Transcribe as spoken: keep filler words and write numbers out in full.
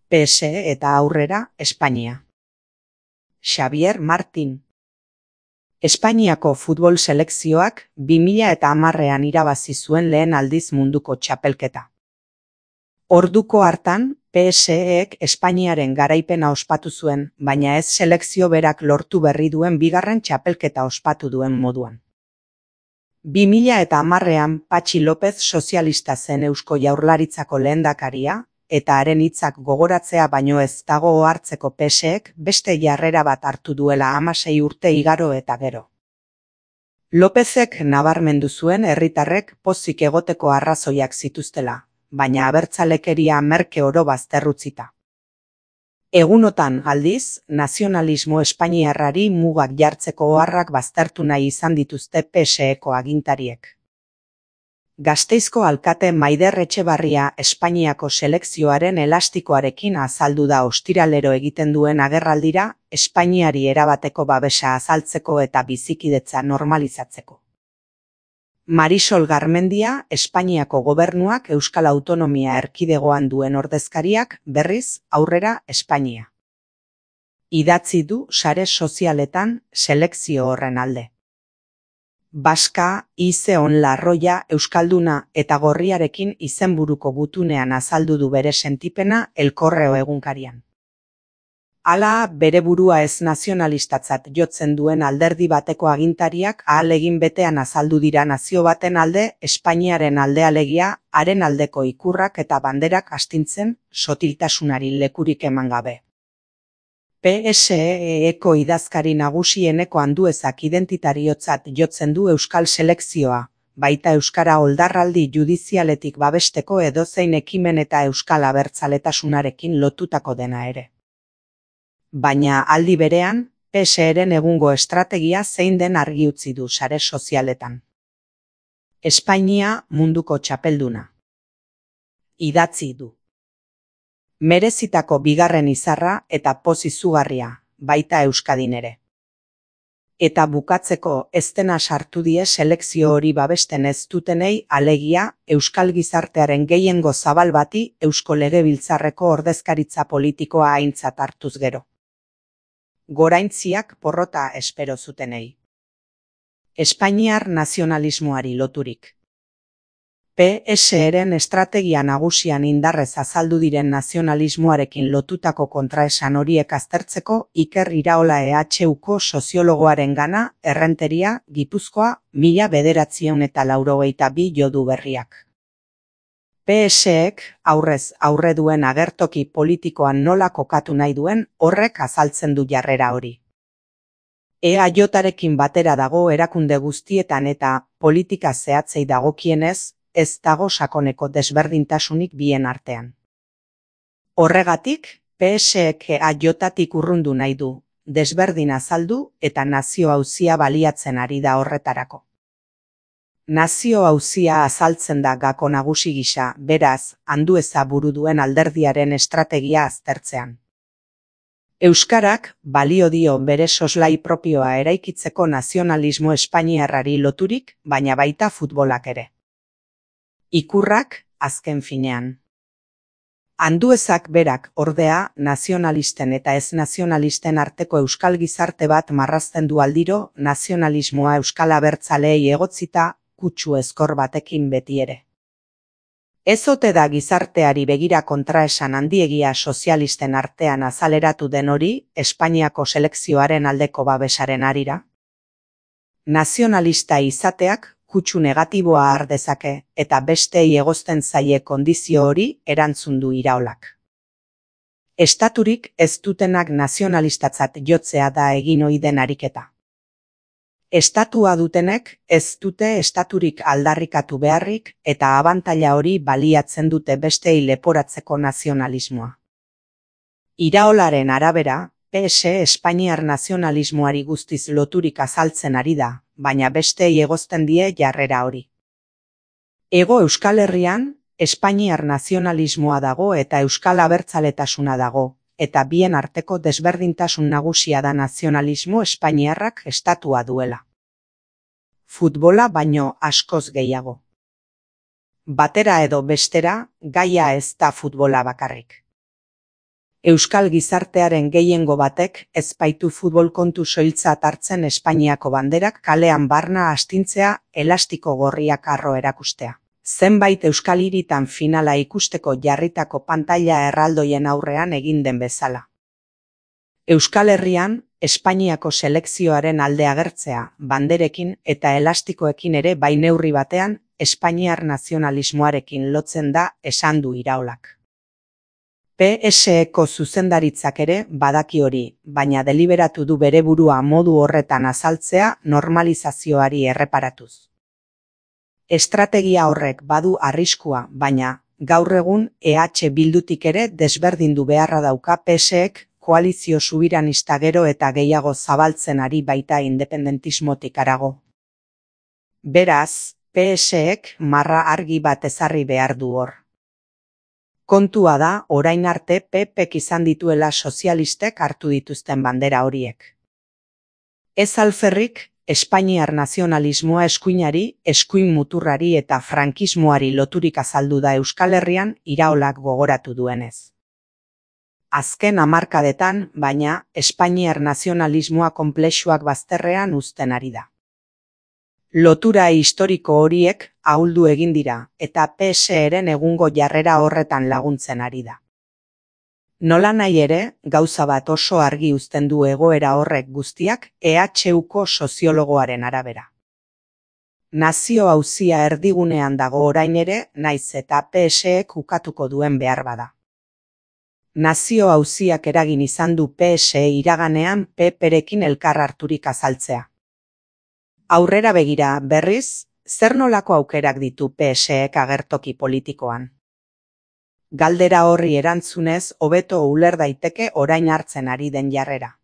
P S E eta aurrera, Espainia. Xavier Martín. Espainiako futbol selekzioak bi mila eta hamarrean irabazi zuen lehen aldiz munduko txapelketa. Orduko hartan, P S Ek Espainiaren garaipena ospatu zuen, baina ez selekzio berak lortu berri duen bigarren txapelketa ospatu duen moduan. bi mila eta hamarrean Patxi López sozialista zen Eusko Jaurlaritzako lehendakaria, eta haren hitzak gogoratzea baino ez dago ohartzeko P S Ek beste jarrera bat hartu duela hamasei urte igaro eta gero. Lópezek nabarmendu zuen herritarrek pozik egoteko arrazoiak zituztela, baina abertzalekeria merke oro bazterrutzita. Egunotan aldiz, nazionalismo espainiarrari mugak jartzeko oharrak baztertu nahi izan dituzte P S Eko agintariek. Gasteizko alkate Maider Etxebarria Espainiako selekzioaren elastikoarekin azaldu da ostiralero egiten duen agerraldira, Espainiari erabateko babesa azaltzeko eta bizikidetza normalizatzeko. Marisol Garmendia, Espainiako gobernuak Euskal Autonomia Erkidegoan duen ordezkariak, berriz, aurrera, Espainia. Idatzi du sare sozialetan selekzio horren alde. Baska, Ize Onlarroia, Euskalduna eta Gorriarekin izenburuko gutunean azaldu du bere sentipena El Correo egunkarian. Hala, bere burua ez nazionalistatzat jotzen duen alderdi bateko agintariak ahalegin betean azaldu dira nazio baten alde, Espainiaren alde alegia, haren aldeko ikurrak eta banderak astintzen, sotiltasunari lekurik eman gabe. P S Eko idazkari nagusieneko Anduezak identitariotzat jotzen du euskal selekzioa, baita euskara oldarraldi judizialetik babesteko edozein ekimen eta euskal abertzaletasunarekin lotutako dena ere. Baina aldi berean, P S Eren egungo estrategia zein den argi utzi du sare sozialetan. Espainia munduko txapelduna. Idatzi du. Merezitako bigarren izarra eta poz izugarria, baita Euskadin ere. Eta bukatzeko ez dena sartu die selekzio hori babesten ez dutenei alegia euskal gizartearen gehiengo zabal bati Eusko Legebiltzarreko ordezkaritza politikoa aintzat hartuz gero. Goraintziak porrota espero zutenei. Espainiar nazionalismoari loturik. P S Eren estrategia nagusian indarrez azaldu diren nazionalismoarekin lotutako kontraesan horiek aztertzeko Iker Iraola E H Uko soziologoaren gana Errenteria, Gipuzkoa, mila bederatziehun eta laurogeita bi jodu berriak. P S Ek aurrez aurre duen agertoki politikoan nola kokatu nahi duen horrek azaltzen du jarrera hori. E A J-arekin batera dago erakunde guztietan eta politika zehatzei dagokienez, ez dago sakoneko desberdintasunik bien artean. Horregatik, P S Ek E A J-atik urrundu nahi du, desberdin azaldu eta nazio auzia baliatzen ari da horretarako. Nazio auzia azaltzen da gako nagusi gisa, beraz, Andueza buru duen alderdiaren estrategia aztertzean. Euskarak balio dio bere soslai propioa eraikitzeko nazionalismo espainiarrari loturik, baina baita futbolak ere. Ikurrak, azken finean. Anduezak berak, ordea, nazionalisten eta ez nazionalisten arteko euskal gizarte bat marrazten du aldiro, nazionalismoa euskal abertzaleei egotzita, kutsu ezkor batekin beti ere. Ez ote da gizarteari begira kontraesan handiegia sozialisten artean azaleratu den hori, Espainiako selekzioaren aldeko babesaren arira? Nazionalista izateak, kutsu negatiboa har dezake, eta bestei egozten zaie kondizio hori erantzun du Iraolak. Estaturik ez dutenak nazionalistatzat jotzea da egin ohi den ariketa. Estatua dutenek ez dute estaturik aldarrikatu beharrik eta abantaila hori baliatzen dute bestei leporatzeko nazionalismoa. Iraolaren arabera, P S Espainiar nazionalismoari guztiz loturik azaltzen ari da, baina bestei egozten die jarrera hori. Hego Euskal Herrian, Espainiar nazionalismoa dago eta euskal abertzaletasuna dago, eta bien arteko desberdintasun nagusia da nazionalismo espainiarrak estatua duela. Futbola baino askoz gehiago. Batera edo bestera, gaia ez da futbola bakarrik. Euskal gizartearen gehiengo batek ez baitu futbol kontu soiltzat hartzen Espainiako banderak kalean barna astintzea, elastiko gorriak harro erakustea. Zenbait euskal hiritan finala ikusteko jarritako pantaila erraldoien aurrean egin den bezala. Euskal Herrian, Espainiako selekzioaren alde agertzea, banderekin eta elastikoekin ere bai neurri batean, espainiar nazionalismoarekin lotzen da esan du Iraolak. P S Eko zuzendaritzak ere badaki hori, baina deliberatu du bere burua modu horretan azaltzea normalizazioari erreparatuz. Estrategia horrek badu arriskua, baina, gaur egun E H Bildutik ere desberdindu beharra dauka P S Ek koalizio subiranista gero eta gehiago zabaltzen ari baita independentismotik harago. Beraz, P S Ek marra argi bat ezarri behar du hor. Kontua da, orain arte P Pek izan dituela sozialistek hartu dituzten bandera horiek. Ez alferrik, Espainiar nazionalismoa eskuinari, eskuin muturrari eta frankismoari loturik azaldu da Euskal Herrian Iraolak gogoratu duenez. Azken hamarkadetan, baina, Espainiar nazionalismoa konplexuak bazterrean uzten ari da. Lotura historiko horiek ahuldu egin dira eta P S Eren egungo jarrera horretan laguntzen ari da. Nola nahi ere, gauza bat oso argi uzten du egoera horrek guztiak E H Uko soziologoaren arabera. Nazio auzia erdigunean dago orain ere, naiz eta P S Ek ukatuko duen behar bada. Nazio auziak eragin izan du P S E iraganean P Perekin elkar harturik azaltzea. Aurrera begira, berriz, zer nolako aukerak ditu P S Ek agertoki politikoan? Galdera horri erantzunez hobeto uler daiteke orain hartzen ari den jarrera.